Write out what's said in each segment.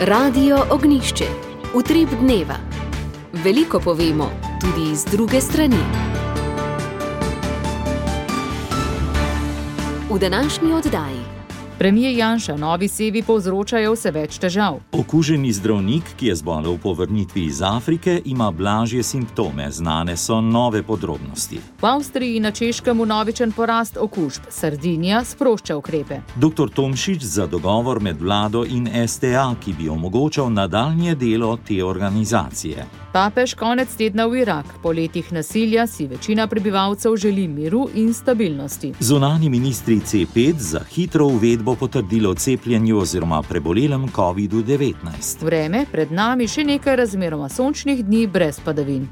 Radio Ognjišče. Utrip dneva. Veliko povemo, tudi z druge strani. V današnji oddaji. Premier Janša novi sevi povzročajo vse več težav. Okuženi zdravnik, ki je zbolel po vrnitvi iz Afrike, ima blažje simptome, znane so nove podrobnosti. V Avstriji in na Češkem vnovičen porast okužb. Sardinija sprošča ukrepe. Dr. Tomšič za dogovor med vlado in STA, ki bi omogočal nadaljnje delo te organizacije. Papež konec tedna v Irak. Po letih nasilja si večina prebivalcev želi miru in stabilnosti. Zunanji ministri C5 za hitro uvedbo potrdilo o cepljenju oziroma prebolelem COVID-19. Vreme, pred nami še nekaj razmeroma sončnih dni brez padavin.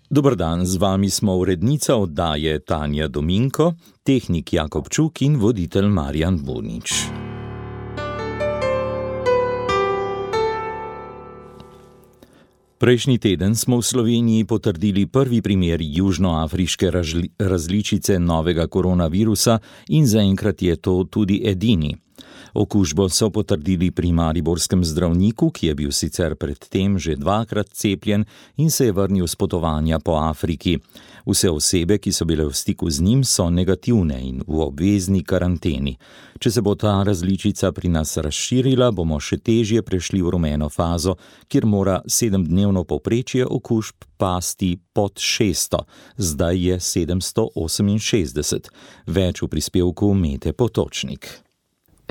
Dober dan, z vami smo urednica oddaje Tanja Dominko, tehnik Jakob Čuk in voditelj Marjan Bunič. Prejšnji teden smo v Sloveniji potrdili prvi primer južnoafriške različice novega koronavirusa in zaenkrat je to tudi edini. Okužbo so potrdili pri mariborskem zdravniku, ki je bil sicer predtem že dvakrat cepljen in se je vrnil s potovanja po Afriki. Vse osebe, ki so bile v stiku z njim, so negativne in v obvezni karanteni. Če se bo ta različica pri nas razširila, bomo še težje prešli v rumeno fazo, kjer mora 7-dnevno povprečje okužb pasti pod 600, zdaj je 768. Več v prispevku Mete Potočnik.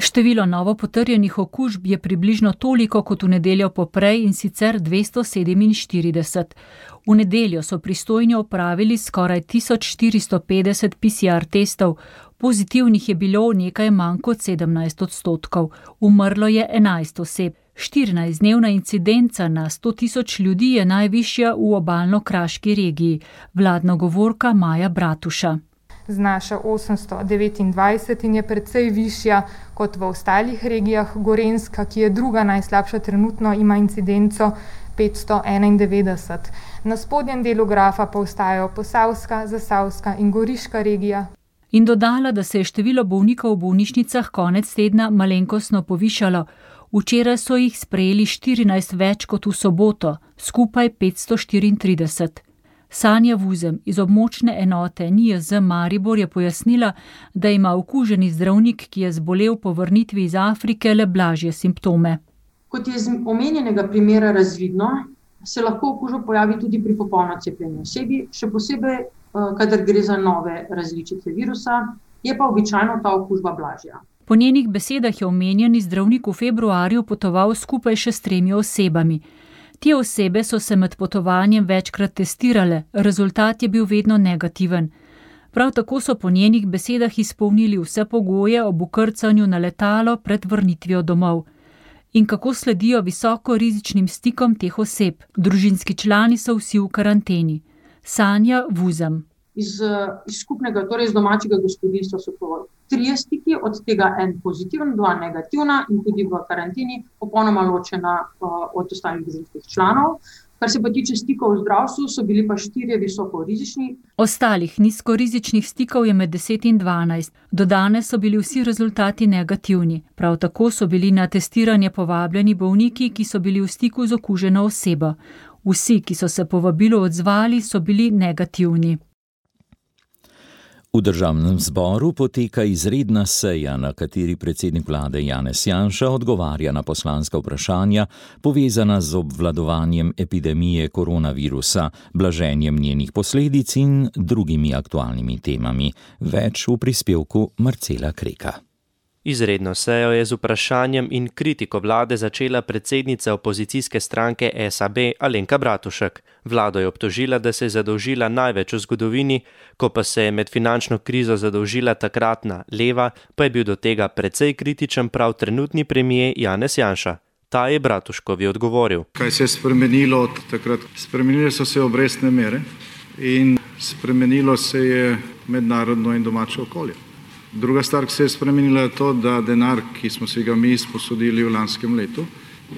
Število novo potrjenih okužb je približno toliko kot v nedeljo poprej, in sicer 247. V nedeljo so pristojni opravili skoraj 1450 PCR testov, pozitivnih je bilo nekaj manj kot 17%, umrlo je 11 oseb. 14-dnevna incidenca na 100.000 ljudi je najvišja v obalno-kraški regiji, vladna govorka Maja Bratuša. Znaša 829 in je precej višja kot v ostalih regijah. Gorenjska, ki je druga najslabša trenutno, ima incidenco 591. Na spodnjem delu grafa pa ostajajo Posavska, Zasavska in Goriška regija. In dodala, da se je število bolnikov v bolnišnicah konec tedna malenkostno povišalo. Včeraj so jih sprejeli 14 več kot v soboto, skupaj 534. Sanja Vuzem iz območne enote NIJZ Maribor je pojasnila, da ima okuženi zdravnik, ki je zbolel po vrnitvi iz Afrike, le blažje simptome. Kot je iz omenjenega primera razvidno, se lahko okužba pojavi tudi pri popolno cepljeni osebi, še posebej, kadar gre za nove različice virusa, je pa običajno ta okužba blažja. Po njenih besedah je omenjeni zdravnik v februarju potoval skupaj še s 3 osebami. Te osebe so se med potovanjem večkrat testirale, rezultat je bil vedno negativen. Prav tako so po njenih besedah izpolnili vse pogoje ob vkrcanju na letalo pred vrnitvijo domov. In kako sledijo visoko rizičnim stikom teh oseb? Družinski člani so vsi v karanteni. Sanja Vuzem. Iz skupnega, torej iz domačega gospodinjstva so to 3 stiki, od tega en pozitiven, 2 negativna in tudi v karanteni popolnoma ločena od ostalih družinskih članov. Kar se pa tiče stikov v zdravstvu, so bili pa 4 visoko rizični. Ostalih nizkorizičnih stikov je med 10 in 12. Do danes so bili vsi rezultati negativni. Prav tako so bili na testiranje povabljeni bolniki, ki so bili v stiku z okuženo osebo. Vsi, ki so se povabilu odzvali, so bili negativni. V državnem zboru poteka izredna seja, na kateri predsednik vlade Janez Janša odgovarja na poslanska vprašanja, povezana z obvladovanjem epidemije koronavirusa, blaženjem njenih posledic in drugimi aktualnimi temami. Več v prispevku Marcela Kreka. Izredno sejo je z vprašanjem in kritiko vlade začela predsednica opozicijske stranke SAB Alenka Bratušek. Vlado je obtožila, da se je zadolžila največ v zgodovini, ko pa se je med finančno krizo zadolžila takratna leva, pa je bil do tega precej kritičen prav trenutni premier Janez Janša. Ta je Bratuškovi odgovoril. Kaj se je spremenilo od takrat? Spremenile so se obrestne mere in spremenilo se je mednarodno in domače okolje. Druga stvar, ki se je spremenila, je to, da denar, ki smo si ga mi sposodili v lanskem letu,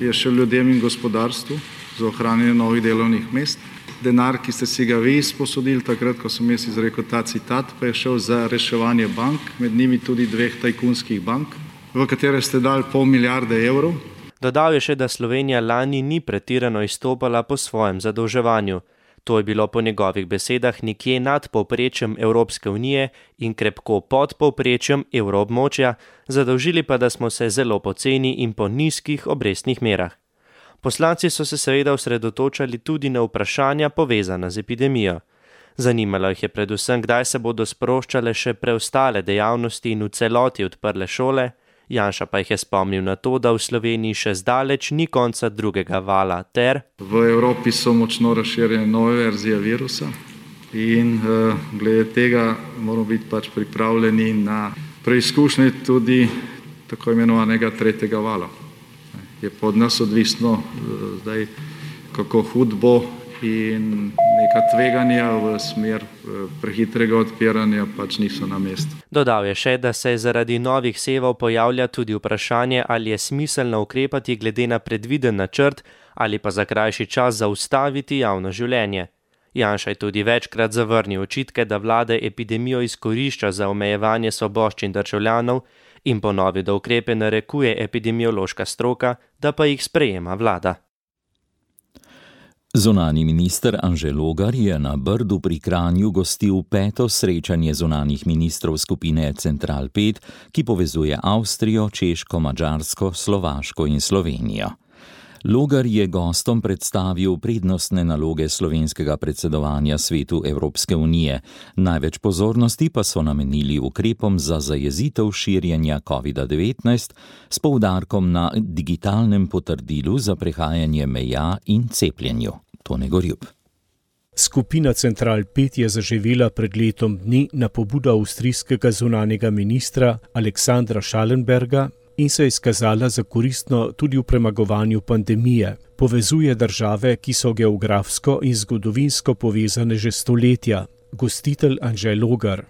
je še ljudem in gospodarstvu za ohranjanje novih delovnih mest denar, ki ste si ga vi izposodili takrat, ko sem jaz izrekel ta citat, pa je šel za reševanje bank, med njimi tudi 2 tajkunskih bank, v katere ste dali 0,5 milijarde evrov. Dodal je še, da Slovenija lani ni pretirano izstopala po svojem zadolževanju. To je bilo po njegovih besedah nekje nad povprečjem Evropske unije in krepko pod povprečjem evroobmočja, zadolžili pa, da smo se zelo poceni in po nizkih obrestnih merah. Poslanci so se seveda osredotočali tudi na vprašanja povezana z epidemijo. Zanimalo jih je predvsem, kdaj se bodo sproščale še preostale dejavnosti in v celoti odprle šole. Janša pa jih je spomnil na to, da v Sloveniji še zdaleč ni konca drugega vala ter v Evropi so močno razširjene nove verzije virusa in glede tega moramo biti pač pripravljeni na preizkušnje tudi tako imenovanega 3. vala. Je pod nas odvisno zdaj, kako hud bo in neka tveganja v smer prehitrega odpiranja pač niso na mestu. Dodal je še, da se zaradi novih sevov pojavlja tudi vprašanje, ali je smiselno ukrepati glede na predviden načrt ali pa za krajši čas zaustaviti javno življenje. Janša je tudi večkrat zavrnil očitke, da vlada epidemijo izkorišča za omejevanje svoboščin državljanov in ponovil, da ukrepe narekuje epidemiološka stroka, da pa jih sprejema vlada. Zunanji minister Anže Logar je na Brdu pri Kranju gostil 5. srečanje zunanjih ministrov skupine Central 5, ki povezuje Avstrijo, Češko, Madžarsko, Slovaško in Slovenijo. Logar je gostom predstavil prednostne naloge slovenskega predsedovanja Svetu Evropske unije. Največ pozornosti pa so namenili ukrepom za zajezitev širjenja COVID-19 s poudarkom na digitalnem potrdilu za prehajanje meja in cepljenju. Tone Gorjup. Skupina Central 5 je zaživela pred letom dni na pobudo avstrijskega zunanjega ministra Aleksandra Schallenberga in se je izkazala za koristno tudi v premagovanju pandemije. Povezuje države, ki so geografsko in zgodovinsko povezane že stoletja. Gostitelj Anže Logar.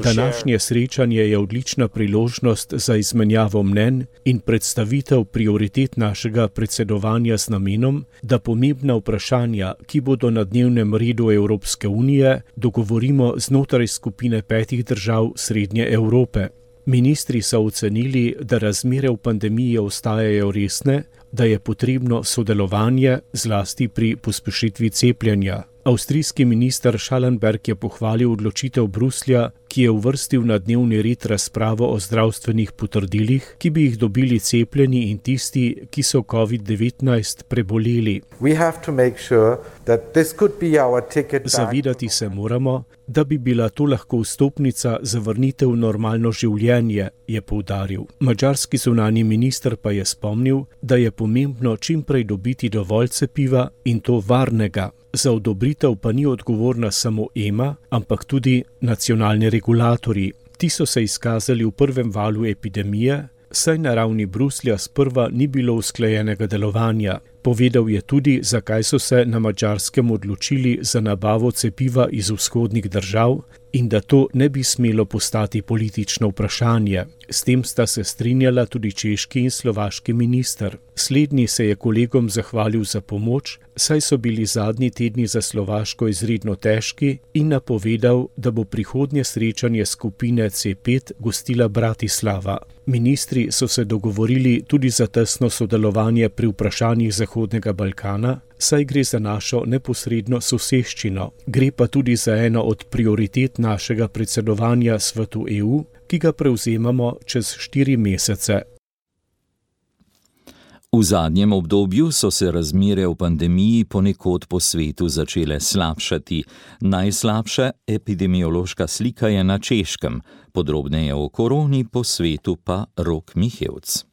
Današnje srečanje je odlična priložnost za izmenjavo mnenj in predstavitev prioritet našega predsedovanja z namenom, da pomembna vprašanja, ki bodo na dnevnem redu Evropske unije, dogovorimo znotraj skupine 5 držav Srednje Evrope. Ministri so ocenili, da razmere v pandemiji ostajajo resne, da je potrebno sodelovanje zlasti pri pospešitvi cepljenja. Avstrijski minister Schallenberg je pohvalil odločitev Bruslja, ki je uvrstil na dnevni red razpravo o zdravstvenih potrdilih, ki bi jih dobili cepljeni in tisti, ki so COVID-19 preboleli. Zavedati se moramo, da bi bila to lahko vstopnica za vrnitev v normalno življenje, je poudaril. Madžarski zunanji minister pa je spomnil, da je pomembno čim prej dobiti dovolj cepiva in to varnega. Za odobritev pa ni odgovorna samo EMA, ampak tudi nacionalni regulatorji. Ti so se izkazali v prvem valu epidemije, saj na ravni Bruslja sprva ni bilo usklajenega delovanja. Povedal je tudi, zakaj so se na Madžarskem odločili za nabavo cepiva iz vzhodnih držav in da to ne bi smelo postati politično vprašanje. S tem sta se strinjala tudi češki in slovaški minister. Slednji se je kolegom zahvalil za pomoč, saj so bili zadnji tedni za Slovaško izredno težki in napovedal, da bo prihodnje srečanje skupine C5 gostila Bratislava. Ministri so se dogovorili tudi za tesno sodelovanje pri vprašanjih Zahodnega Balkana, saj gre za našo neposredno soseščino. Gre pa tudi za eno od prioritet našega predsedovanja Svetu EU, ki ga prevzemamo čez 4 mesece. V zadnjem obdobju so se razmere v pandemiji ponekod po svetu začele slabšati. Najslabša epidemiološka slika je na Češkem, podrobneje o koroni po svetu pa Rok Mihevc.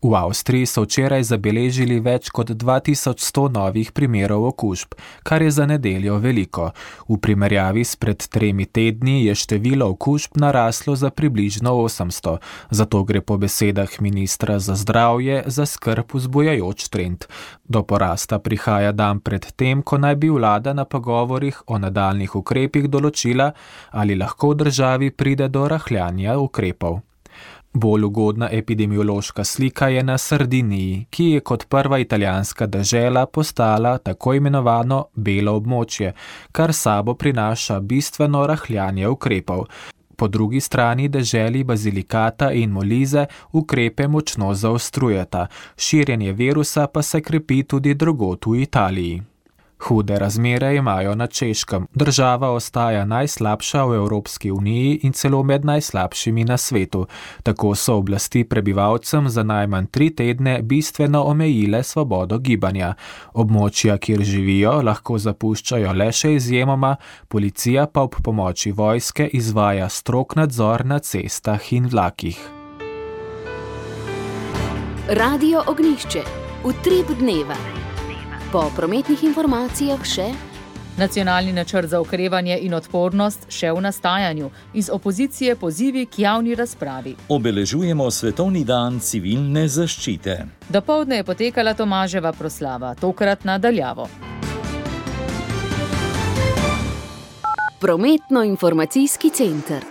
V Avstriji so včeraj zabeležili več kot 2100 novih primerov okužb, kar je za nedeljo veliko. V primerjavi s pred 3 tedni je število okužb naraslo za približno 800, zato gre po besedah ministra za zdravje za skrb vzbujajoč trend. Do porasta prihaja dan pred tem, ko naj bi vlada na pogovorih o nadaljnjih ukrepih določila, ali lahko v državi pride do rahljanja ukrepov. Bolj ugodna epidemiološka slika je na Sardiniji, ki je kot prva italijanska dežela postala tako imenovano belo območje, kar sabo prinaša bistveno rahljanje ukrepov. Po drugi strani deželi Basilikata in Molise ukrepe močno zaostrujeta, širjenje virusa pa se krepi tudi drugod v Italiji. Hude razmere imajo na Češkem. Država ostaja najslabša v Evropski uniji in celo med najslabšimi na svetu. Tako so oblasti prebivalcem za najmanj 3 tedne bistveno omejile svobodo gibanja. Območja, kjer živijo, lahko zapuščajo le še izjemoma, policija pa ob pomoči vojske izvaja strog nadzor na cestah in vlakih. Radio Ognjišče. Utrip dneva. Po prometnih informacijah še Nacionalni načrt za okrevanje in odpornost še v nastajanju. Iz opozicije pozivi k javni razpravi. Obeležujemo Svetovni dan civilne zaščite. Dopoldne je potekala Tomaževa proslava, tokrat na daljavo. Prometno-informacijski center.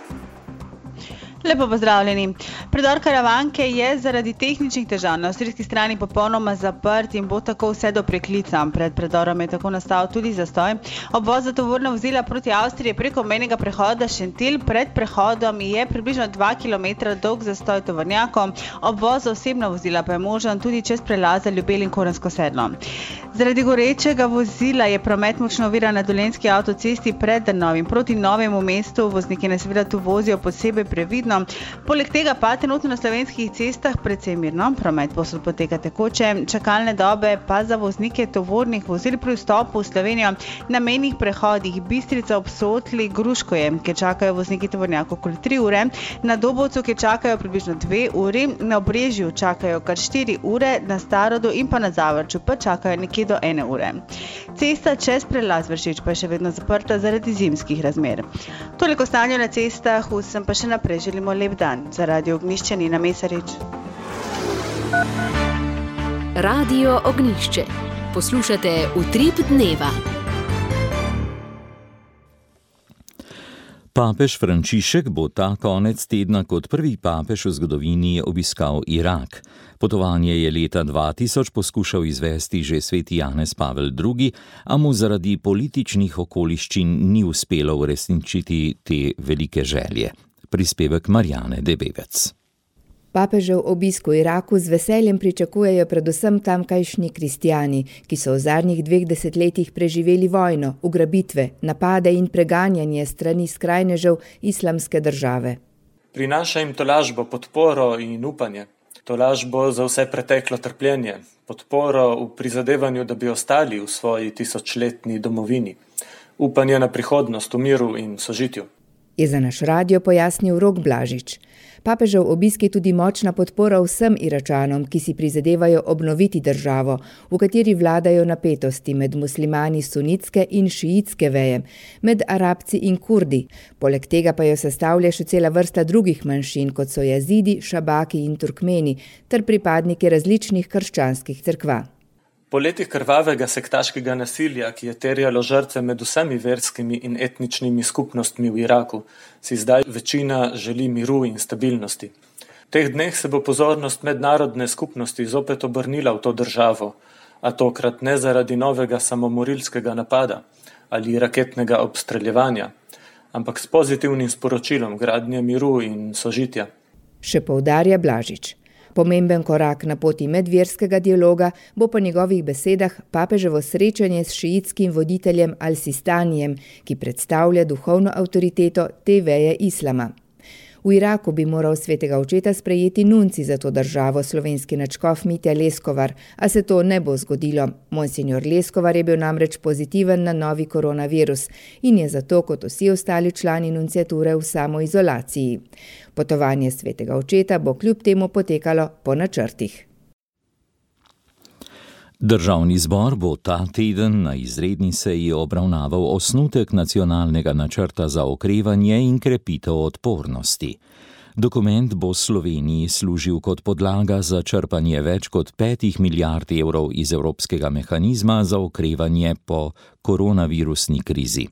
Lepo pozdravljeni. Predor Karavanke je zaradi tehničnih težav na avstrijski strani popolnoma zaprt in bo tako vse do preklica. Pred predorom je tako nastal tudi zastoj. Obvoz za tovorna vozila proti Avstriji preko mejnega prehoda Šentilj. Pred prehodom je približno 2 km dolg zastoj tovornjakov. Obvoz za osebna vozila pa je možen tudi čez prelaze Ljubelj in Korensko sedlo. Zaradi gorečega vozila je promet močno oviran na Dolenjski avtocesti pred Drnovim proti Novemu mestu. Vozniki naj seveda tu vozijo posebej previdno. Poleg tega pa trenutno na slovenskih cestah precej mirno, promet povsod poteka tekoče, čakalne dobe pa za voznike tovornih vozil pri vstopu v Slovenijo na mejnih prehodih Bistrica ob Sotli, Gruškoje, kjer čakajo vozniki tovornjakov okoli 3 ure, na Dobovcu, kjer čakajo približno 2 uri, na Obrežju čakajo kar 4 ure, na Starodu in pa na Zavrču pa čakajo nekje do 1 ure. Cesta čez prelaz Vršič pa je še vedno zaprta zaradi zimskih razmer. Toliko stanja na cestah, vsem pa še naprej želimo lep dan. Za Radio Ognjišče Nina Mesarič. Radio Ognjišče. Poslušate Utrip dneva. Papež Frančišek bo ta konec tedna kot prvi papež v zgodovini obiskal Irak. Potovanje je leta 2000 poskušal izvesti že sveti Janez Pavel II, a mu zaradi političnih okoliščin ni uspelo uresničiti te velike želje. Prispevek Marjane Debevec. Papežev obisk v Iraku z veseljem pričakujejo predvsem tamkajšnji kristjani, ki so v zadnjih 2 desetletjih preživeli vojno, ugrabitve, napade in preganjanje strani skrajnežev Islamske države. Prinaša jim tolažbo, podporo in upanje. Tolažbo za vse preteklo trpljenje, podporo v prizadevanju, da bi ostali v svoji 1000-letni domovini, upanje na prihodnost v miru in sožitju. Je za naš radio pojasnil Rok Blažič. Papežev obisk je tudi močna podpora vsem Iračanom, ki si prizadevajo obnoviti državo, v kateri vladajo napetosti med muslimani sunitske in šiitske veje, med Arabci in Kurdi. Poleg tega pa jo sestavlja še cela vrsta drugih manjšin, kot so Jazidi, Šabaki in Turkmeni, ter pripadniki različnih krščanskih cerkva. Po letih krvavega sektaškega nasilja, ki je terjalo žrtve med vsemi verskimi in etničnimi skupnostmi v Iraku, si zdaj večina želi miru in stabilnosti. V teh dneh se bo pozornost mednarodne skupnosti zopet obrnila v to državo, a tokrat ne zaradi novega samomorilskega napada ali raketnega obstreljevanja, ampak s pozitivnim sporočilom gradnje miru in sožitja. Še poudarja Blažič. Pomemben korak na poti medverskega dialoga bo po njegovih besedah papeževo srečanje s šiitskim voditeljem Al-Sistanijem, ki predstavlja duhovno avtoriteto te veje islama. V Iraku bi moral svetega očeta sprejeti nunci za to državo, slovenski nadškof Mitja Leskovar, a se to ne bo zgodilo. Monsignor Leskovar je bil namreč pozitiven na novi koronavirus in je zato kot vsi ostali člani nunciature v samoizolaciji. Potovanje svetega očeta bo kljub temu potekalo po načrtih. Državni zbor bo ta teden na izredni seji obravnaval osnutek nacionalnega načrta za okrevanje in krepitev odpornosti. Dokument bo Sloveniji služil kot podlaga za črpanje več kot 5 milijard evrov iz Evropskega mehanizma za okrevanje po koronavirusni krizi.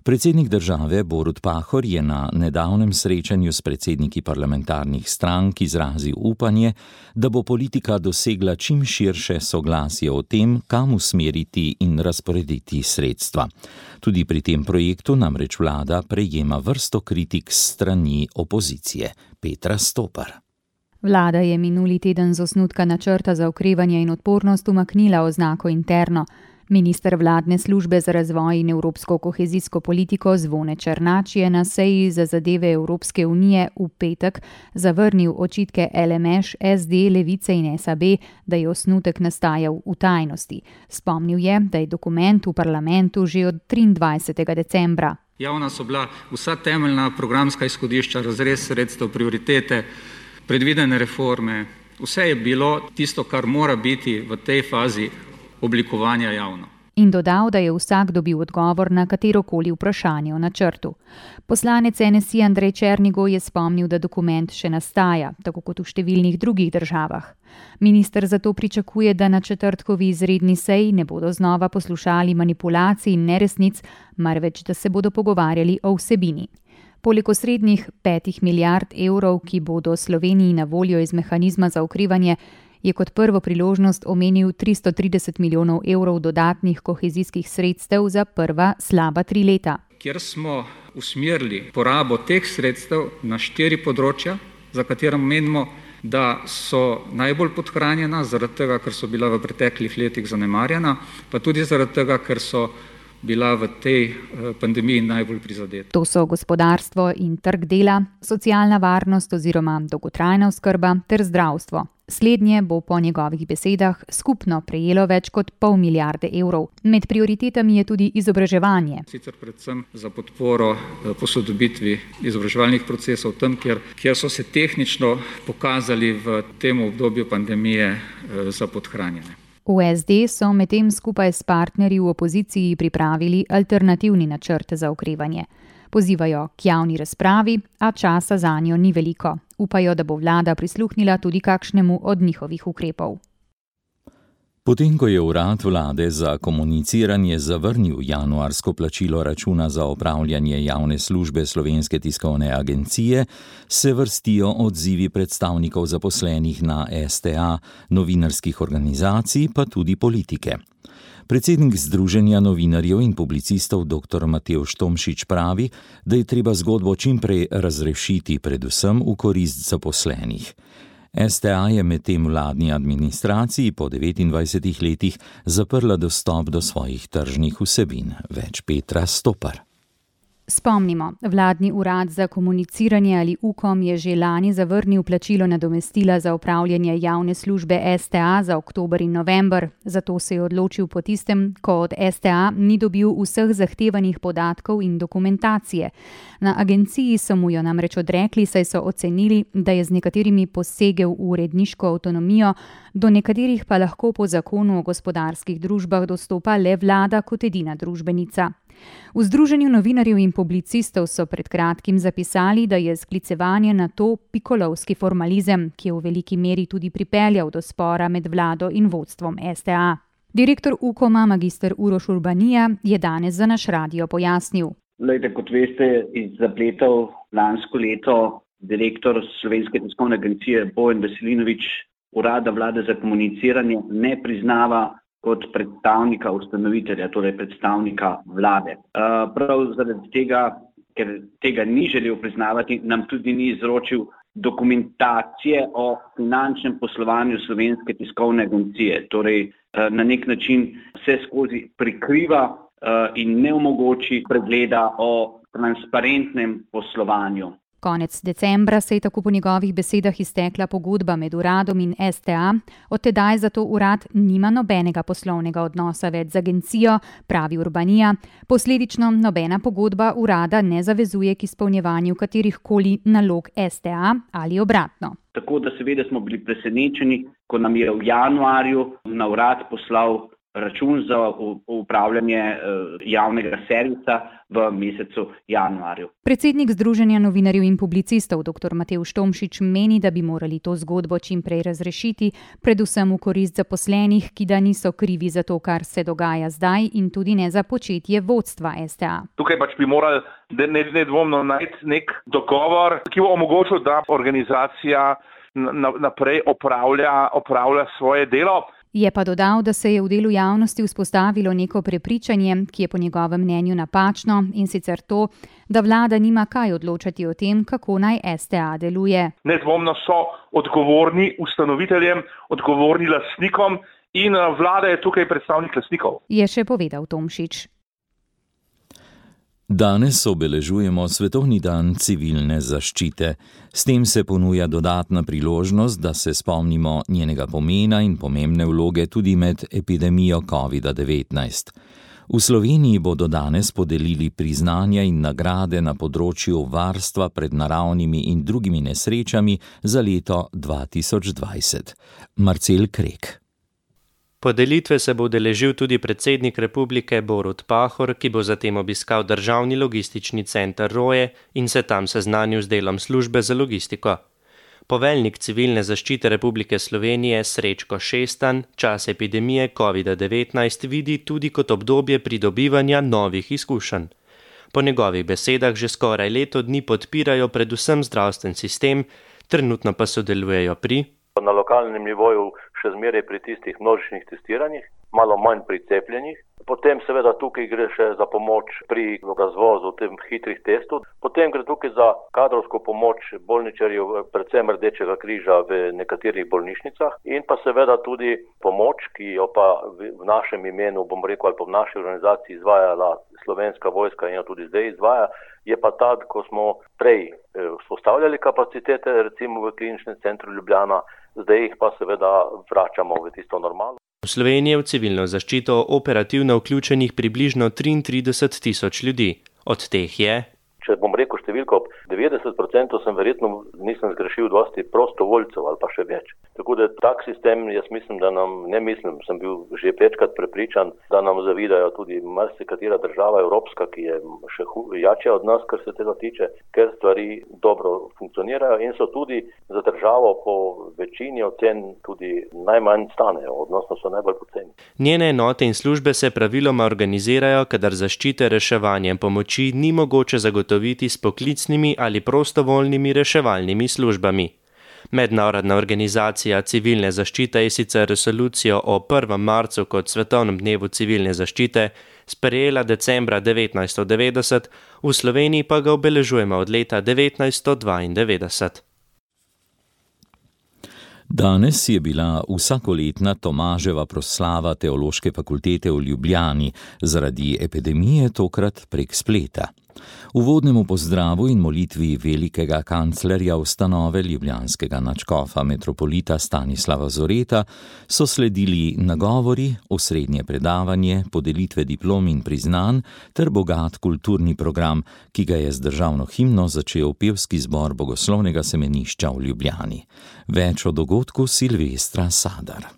Predsednik države Borut Pahor je na nedavnem srečanju s predsedniki parlamentarnih strank izrazil upanje, da bo politika dosegla čim širše soglasje o tem, kam usmeriti in razporediti sredstva. Tudi pri tem projektu namreč vlada prejema vrsto kritik s strani opozicije. Petra Stopar. Vlada je minuli teden z osnutka načrta za okrevanje in odpornost umaknila oznako interno. Minister vladne službe za razvoj in evropsko kohezijsko politiko Zvone Černač je na seji za zadeve Evropske unije v petek zavrnil očitke LMŠ, SD, Levice in SAB, da je osnutek nastajal v tajnosti. Spomnil je, da je dokument v parlamentu že od 23. decembra. Javna so bila vsa temeljna programska izhodišča, razrez sredstev, prioritete, predvidene reforme. Vse je bilo tisto, kar mora biti v tej fazi oblikovanja javno. In dodal, da je vsak dobil odgovor na katerokoli vprašanje o načrtu. Poslanec NSI Andrej Černigoj je spomnil, da dokument še nastaja, tako kot v številnih drugih državah. Minister zato pričakuje, da na četrtkovi izredni seji ne bodo znova poslušali manipulacij in neresnic, marveč da se bodo pogovarjali o vsebini. Poleg osrednjih 5 milijard evrov, ki bodo Sloveniji na voljo iz mehanizma za okrevanje, je kot prvo priložnost omenil 330 milijonov evrov dodatnih kohezijskih sredstev za prva slaba 3 leta. Kjer smo usmerili porabo teh sredstev na 4 področja, za katera menimo, da so najbolj podhranjena, zaradi tega, ker so bila v preteklih letih zanemarjena, pa tudi zaradi tega, ker so bila v tej pandemiji najbolj prizadeta. To so gospodarstvo in trg dela, socialna varnost oziroma dolgotrajna oskrba ter zdravstvo. Slednje bo po njegovih besedah skupno prejelo več kot pol milijarde evrov. Med prioritetami je tudi izobraževanje. Sicer predvsem za podporo posodobitvi izobraževalnih procesov tam, kjer so se tehnično pokazali v tem obdobju pandemije za podhranjene. V SD so medtem skupaj s partnerji v opoziciji pripravili alternativni načrt za okrevanje. Pozivajo k javni razpravi, a časa zanjo ni veliko. Upajo, da bo vlada prisluhnila tudi kakšnemu od njihovih ukrepov. Potem, ko je urad vlade za komuniciranje zavrnil januarsko plačilo računa za opravljanje javne službe Slovenske tiskovne agencije, se vrstijo odzivi predstavnikov zaposlenih na STA, novinarskih organizacij, pa tudi politike. Predsednik Združenja novinarjev in publicistov dr. Matevž Tomšič pravi, da je treba zgodbo čimprej razrešiti, predvsem v korist zaposlenih. STA je medtem vladni administraciji po 29 letih zaprla dostop do svojih tržnih vsebin. Več Petra Stopar. Spomnimo, vladni urad za komuniciranje ali UKOM je že lani zavrnil plačilo nadomestila za opravljanje javne službe STA za oktober in november. Zato se je odločil po tistem, ko od STA ni dobil vseh zahtevanih podatkov in dokumentacije. Na agenciji so mu jo namreč odrekli, saj so ocenili, da je z nekaterimi posegel v uredniško avtonomijo, do nekaterih pa lahko po zakonu o gospodarskih družbah dostopa le vlada kot edina družbenica. V Združenju novinarjev in publicistov so pred kratkim zapisali, da je sklicevanje na to pikolovski formalizem, ki je v veliki meri tudi pripeljal do spora med vlado in vodstvom STA. Direktor UKOM-a magister Uroš Urbanija je danes za naš radio pojasnil. Lejte, kot veste, iz zapletov lansko leto direktor Slovenske tiskovne agencije Bojan Veselinovič urada vlade za komuniciranje ne priznava kot predstavnika ustanovitelja, torej predstavnika vlade. Prav zaradi tega, ker tega ni želel priznavati, nam tudi ni izročil dokumentacije o finančnem poslovanju Slovenske tiskovne agencije. Torej, na nek način vse skozi prikriva in ne omogoči pregleda o transparentnem poslovanju. Konec decembra se je tako po njegovih besedah iztekla pogodba med uradom in STA, od tedaj zato urad nima nobenega poslovnega odnosa več z agencijo, pravi Urbanija, posledično nobena pogodba urada ne zavezuje k izpolnjevanju katerihkoli nalog STA ali obratno. Tako da seveda smo bili presenečeni, ko nam je v januarju na urad poslal račun za upravljanje javnega servisa v mesecu januarju. Predsednik Združenja novinarjev in publicistov dr. Matevž Tomšič meni, da bi morali to zgodbo čim prej razrešiti, predvsem v korist zaposlenih, ki da niso krivi za to, kar se dogaja zdaj in tudi ne za početje vodstva STA. Tukaj bi morali nedvomno najti nek dogovor, ki bo omogočil, da organizacija naprej opravlja svoje delo. Je pa dodal, da se je v delu javnosti vzpostavilo neko prepričanje, ki je po njegovem mnenju napačno, in sicer to, da vlada nima kaj odločati o tem, kako naj STA deluje. Nedvomno so odgovorni ustanoviteljem, odgovorni lastnikom in vlada je tukaj predstavnik lastnikov. Je še povedal Tomšič. Danes obeležujemo Svetovni dan civilne zaščite. S tem se ponuja dodatna priložnost, da se spomnimo njenega pomena in pomembne vloge tudi med epidemijo COVID-19. V Sloveniji bodo danes podelili priznanja in nagrade na področju varstva pred naravnimi in drugimi nesrečami za leto 2020. Marcel Krek. Podelitve se bo udeležil tudi predsednik republike Borut Pahor, ki bo zatem obiskal državni logistični center Roje in se tam seznanil z delom službe za logistiko. Poveljnik civilne zaščite Republike Slovenije Srečko Šestan čas epidemije COVID-19 vidi tudi kot obdobje pridobivanja novih izkušenj. Po njegovih besedah že skoraj leto dni podpirajo predvsem zdravstven sistem, trenutno pa sodelujejo na lokalnem nivoju še zmeraj pri tistih množičnih testiranjih, malo manj pri cepljenih. Potem seveda tukaj gre še za pomoč pri razvozu tem hitrih testov. Potem gre tukaj za kadrovsko pomoč bolničarjev, predvsem Rdečega križa v nekaterih bolnišnicah in pa seveda tudi pomoč, ki jo pa v našem imenu, bom rekel, ali pa v naši organizaciji izvajala Slovenska vojska in jo tudi zdaj izvaja, je pa ta, ko smo prej vzpostavljali kapacitete, recimo v kliničnem centru Ljubljana, zdaj jih pa seveda vračamo v tisto normalo. V Sloveniji je v civilno zaščito operativno vključenih približno 33,000 ljudi. Od teh je, če bom rekel številko, 90% nisem zgrešil dosti prostovoljcev ali pa še več. Tako da tak sistem, jaz mislim, sem bil že večkrat prepričan, da nam zavidajo tudi marsikatera država evropska, ki je še jača od nas, kar se tega tiče, ker stvari dobro funkcionirajo in so tudi za državo po večini ocen tudi najmanj stanejo, odnosno so najbolj poceni. Njene enote in službe se praviloma organizirajo, kadar zaščite, reševanje in pomoči ni mogoče zagotoviti s poklicnimi ali prostovoljnimi reševalnimi službami. Mednarodna organizacija civilne zaščite je sicer resolucijo o 1. marcu kot svetovnem dnevu civilne zaščite sprejela decembra 1990, v Sloveniji pa ga obeležujemo od leta 1992. Danes je bila vsakoletna Tomaževa proslava Teološke fakultete v Ljubljani, zaradi epidemije tokrat prek spleta. Uvodnemu pozdravu in molitvi velikega kanclerja ustanove ljubljanskega nadškofa metropolita Stanislava Zoreta so sledili nagovori, osrednje predavanje, podelitve diplom in priznanj ter bogat kulturni program, ki ga je z državno himno začel pevski zbor Bogoslovnega semenišča v Ljubljani. Več o dogodku Silvestra Sadar.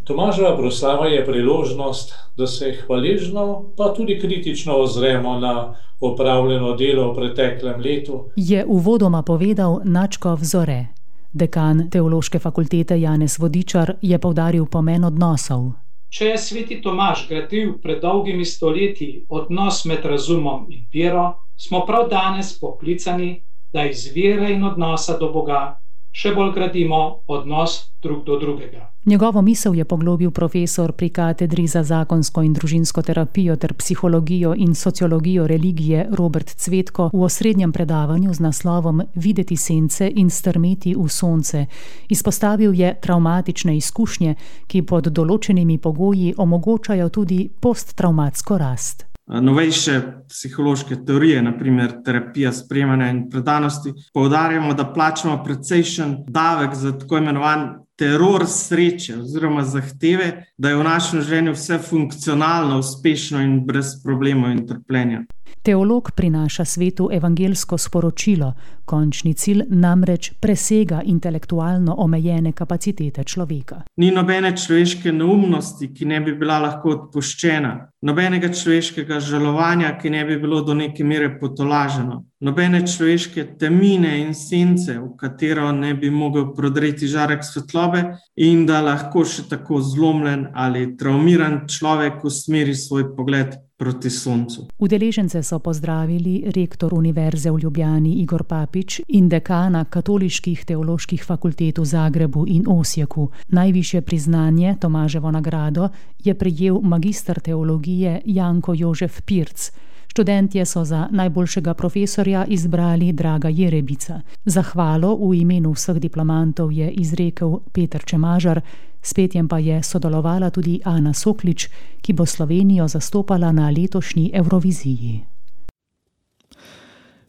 Tomaževa proslava je priložnost, da se hvaležno, pa tudi kritično ozremo na opravljeno delo v preteklem letu. Je uvodoma povedal nadškof Zore. Dekan Teološke fakultete Janez Vodičar je poudaril pomen odnosov. Če je sveti Tomaž gradil pred dolgimi stoletji odnos med razumom in vero, smo prav danes poklicani, da iz vere in odnosa do Boga še bolj gradimo odnos drug do drugega. Njegovo misel je poglobil profesor pri katedri za zakonsko in družinsko terapijo ter psihologijo in sociologijo religije Robert Cvetko v osrednjem predavanju z naslovom Videti sence in strmeti v sonce. Izpostavil je travmatične izkušnje, ki pod določenimi pogoji omogočajo tudi posttravmatsko rast. Novejše psihološke teorije, naprimer terapija sprejemanja in predanosti, poudarjamo, da plačamo precejšen davek za tako imenovan teror sreče oziroma zahteve, da je v našem življenju vse funkcionalno, uspešno in brez problemov in trpljenja. Teolog prinaša svetu evangelsko sporočilo, končni cilj namreč presega intelektualno omejene kapacitete človeka. Ni nobene človeške neumnosti, ki ne bi bila lahko odpuščena, nobenega človeškega žalovanja, ki ne bi bilo do neke mere potolaženo, nobene človeške temine in sence, v katero ne bi mogel prodreti žarek svetlobe in da lahko še tako zlomljen ali traumiran človek usmeri svoj pogled proti soncu. Udeležence so pozdravili rektor Univerze v Ljubljani Igor Papič in dekana katoliških teoloških fakultet v Zagrebu in Osijeku. Najvišje priznanje, Tomaževo nagrado, je prejel magister teologije Janko Jožef Pirc. Študentje so za najboljšega profesorja izbrali Draga Jerebica. Zahvalo v imenu vseh diplomantov je izrekel Peter Čemažar, s petjem pa je sodelovala tudi Ana Soklič, ki bo Slovenijo zastopala na letošnji Evroviziji.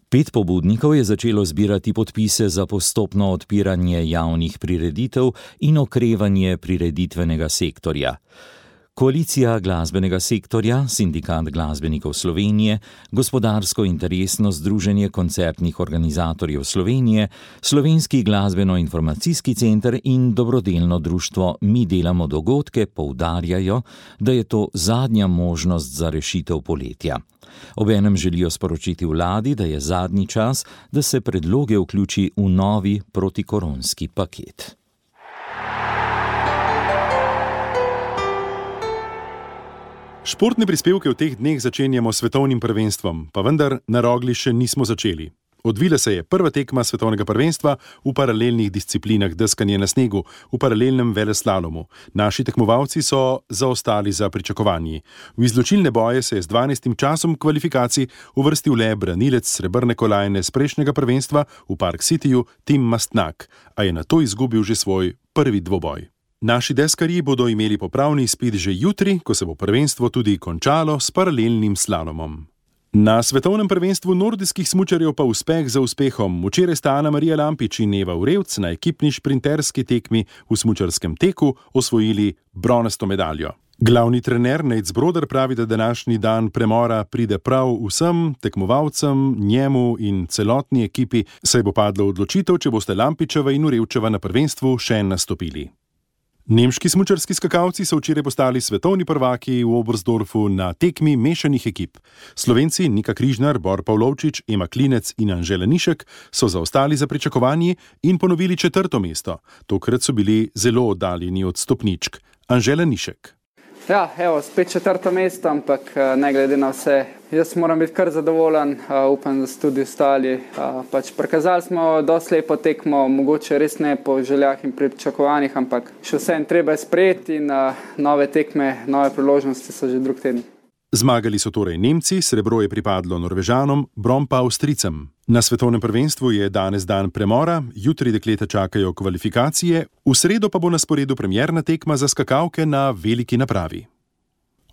5 pobudnikov je začelo zbirati podpise za postopno odpiranje javnih prireditev in okrevanje prireditvenega sektorja. Koalicija glasbenega sektorja, Sindikat glasbenikov Slovenije, Gospodarsko interesno združenje koncertnih organizatorjev Slovenije, Slovenski glasbeno-informacijski center in dobrodelno društvo Mi delamo dogodke poudarjajo, da je to zadnja možnost za rešitev poletja. Obenem želijo sporočiti vladi, da je zadnji čas, da se predloge vključi v novi protikoronski paket. Športne prispevke v teh dneh začenjamo s svetovnim prvenstvom, pa vendar na Rogli še nismo začeli. Odvila se je prva tekma svetovnega prvenstva v paralelnih disciplinah deskanje na snegu, v paralelnem veleslalomu. Naši tekmovalci so zaostali za pričakovanji. V izločilne boje se je z 12. časom kvalifikacij uvrstil le branilec srebrne kolajne z prejšnjega prvenstva v Park Cityju Tim Mastnak, a je nato izgubil že svoj prvi dvoboj. Naši deskarji bodo imeli popravni izpit že jutri, ko se bo prvenstvo tudi končalo s paralelnim slalomom. Na svetovnem prvenstvu nordijskih smučarjev pa uspeh za uspehom. Včeraj sta Ana Marija Lampič in Eva Urevc na ekipni šprinterski tekmi v smučarskem teku osvojili bronasto medaljo. Glavni trener Nejc Broder pravi, da današnji dan premora pride prav vsem tekmovalcem, njemu in celotni ekipi, saj bo padlo odločitev, če boste Lampičeva in Urevčeva na prvenstvu še nastopili. Nemški smučarski skakalci so včeraj postali svetovni prvaki v Oberstdorfu na tekmi mešanih ekip. Slovenci Nika Križnar, Bor Pavlovčič, Ema Klinec in Anžela Nišek so zaostali za pričakovanji in ponovili 4. mesto. Tokrat so bili zelo oddaljeni od stopničk. Anžela Nišek. Ja, evo, spet 4. mesto, ampak ne glede na vse, jaz moram biti kar zadovoljen, upam, da so tudi ostali. Prikazali smo dosti lepo tekmo, mogoče res ne po željah in pričakovanjih, ampak še vseeno treba je sprejeti in nove tekme, nove priložnosti so že drug teden. Zmagali so torej Nemci, srebro je pripadlo Norvežanom, bron pa Avstrijcem. Na svetovnem prvenstvu je danes dan premora, jutri dekleta čakajo kvalifikacije, v sredo pa bo na sporedu premierna tekma za skakalke na veliki napravi.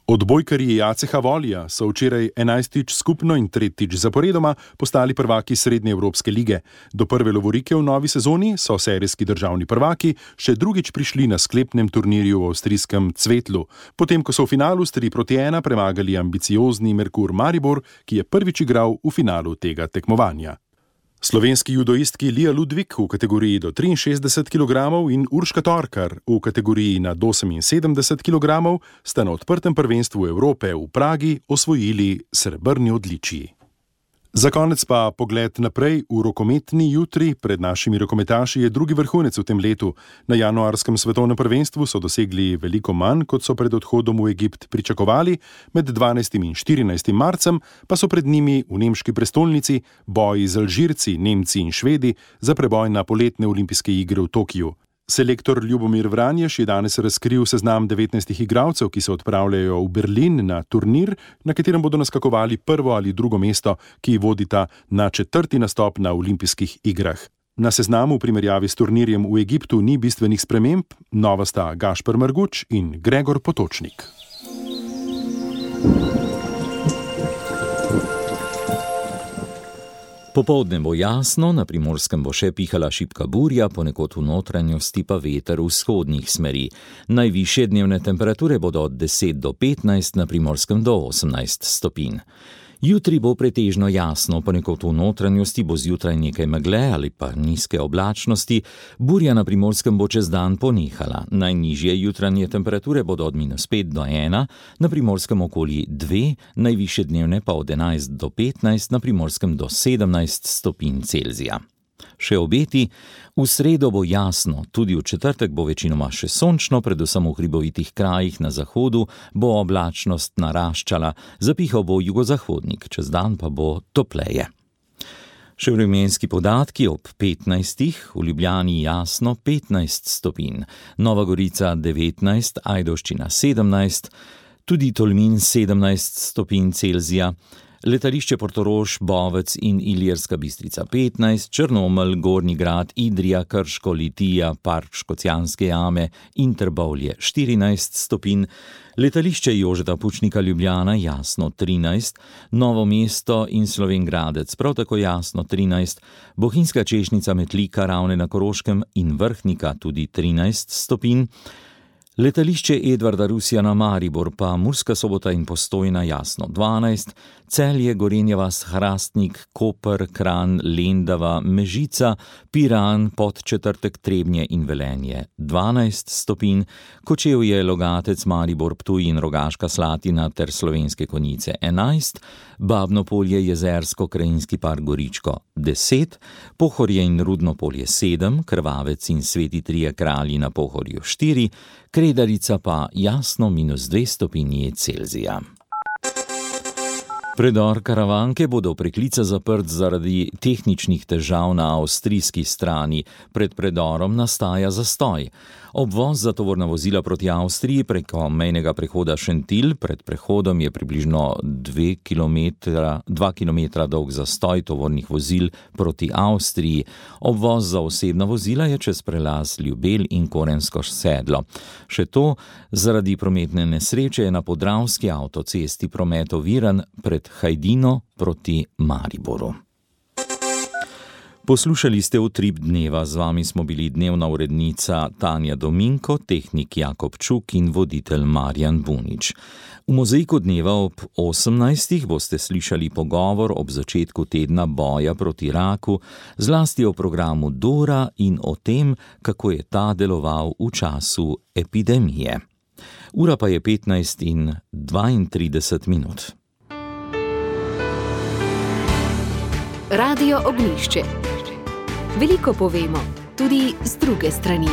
Odbojkarji ACH Volja so včeraj 11. skupno in 3. zaporedoma postali prvaki Srednje Evropske lige. Do prve lovorike v novi sezoni so serijski državni prvaki še drugič prišli na sklepnem turnirju v avstrijskem Cvetlu, potem ko so v finalu s 3-1 premagali ambiciozni Merkur Maribor, ki je prvič igral v finalu tega tekmovanja. Slovenski judoistki Lija Ludvik v kategoriji do 63 kg in Urška Torkar v kategoriji nad 78 kg sta na odprtem prvenstvu Evrope v Pragi osvojili srebrni odličji. Za konec pa pogled naprej v rokometni jutri. Pred našimi rokometaši je drugi vrhunec v tem letu. Na januarskem svetovnem prvenstvu so dosegli veliko manj, kot so pred odhodom v Egipt pričakovali, med 12. in 14. marcem pa so pred njimi v nemški prestolnici boji z Alžirci, Nemci in Švedi za preboj na poletne olimpijske igre v Tokiju. Selektor Ljubomir Vranješ je danes razkril seznam 19 igralcev, ki se odpravljajo v Berlin na turnir, na katerem bodo naskakovali prvo ali drugo mesto, ki vodita na 4. nastop na olimpijskih igrah. Na seznamu v primerjavi s turnirjem v Egiptu ni bistvenih sprememb, nova sta Gašper Marguč in Gregor Potočnik. Popoldne bo jasno, na Primorskem bo še pihala šibka burja, ponekod v notranjosti pa veter vzhodnih smeri. Najvišje dnevne temperature bodo od 10 do 15, na Primorskem do 18 stopinj. Jutri bo pretežno jasno, ponekod v notranjosti bo zjutraj nekaj megle ali pa nizke oblačnosti, burja na Primorskem bo čez dan ponehala. Najnižje jutranje temperature bodo od -5 do 1, na Primorskem okoli 2, najvišje dnevne pa od 11 do 15, na Primorskem do 17 stopinj Celzija. Še obeti, v sredo bo jasno, tudi v četrtek bo večinoma še sončno, predvsem v hribovitih krajih na zahodu bo oblačnost naraščala, zapihal bo jugozahodnik, čez dan pa bo topleje. Še vremenski podatki ob 15, v Ljubljani jasno 15 stopinj, Nova Gorica 19, Ajdovščina 17, tudi Tolmin 17 stopinj Celzija, letališče Portorož, Bovec in Ilirska Bistrica 15, Črnomelj, Gornji Grad, Idrija, Krško, Litija, Park Škocjanske jame in Trbovlje 14 stopinj, letališče Jožeta Pučnika Ljubljana jasno 13, Novo mesto in Slovenj Gradec prav tako jasno 13, Bohinjska Češnica, Metlika, Ravne na Koroškem in Vrhnika tudi 13 stopinj, letališče Edvarda Rusjana Maribor pa Murska Sobota in Postojna jasno 12, Celje, Gorenja vas, Hrastnik, Koper, Kranj, Lendava, Mežica, Piran, Podčetrtek, Trebnje in Velenje 12 stopinj, Kočevje, Logatec, Maribor, Ptuj in Rogaška Slatina ter Slovenske Konjice 11, Babno Polje, Jezersko, Krajinski park Goričko 10, Pohorje in Rudno Polje 7, Krvavec in Sveti Trije Kralji na Pohorju 4, Kredarica pa jasno -2 stopinji Celzija. Predor Karavanke bo do preklica zaprt zaradi tehničnih težav na avstrijski strani. Pred predorom nastaja zastoj. Obvoz za tovorna vozila proti Avstriji preko mejnega prehoda Šentilj, pred prehodom je približno 2 km dolg zastoj tovornih vozil proti Avstriji. Obvoz za osebna vozila je čez prelaz Ljubelj in Korensko sedlo. Še to, zaradi prometne nesreče je na podravski avtocesti promet oviran pred Hajdino proti Mariboru. Poslušali ste Utrip dneva, z vami smo bili dnevna urednica Tanja Dominko, tehnik Jakob Čuk in voditelj Marjan Bunič. V Mozaiku dneva ob 18. boste slišali pogovor ob začetku tedna boja proti raku, zlasti o programu Dora in o tem, kako je ta deloval v času epidemije. Ura pa je 15:32. Radio Ognjišče. Veliko povemo, tudi z druge strani.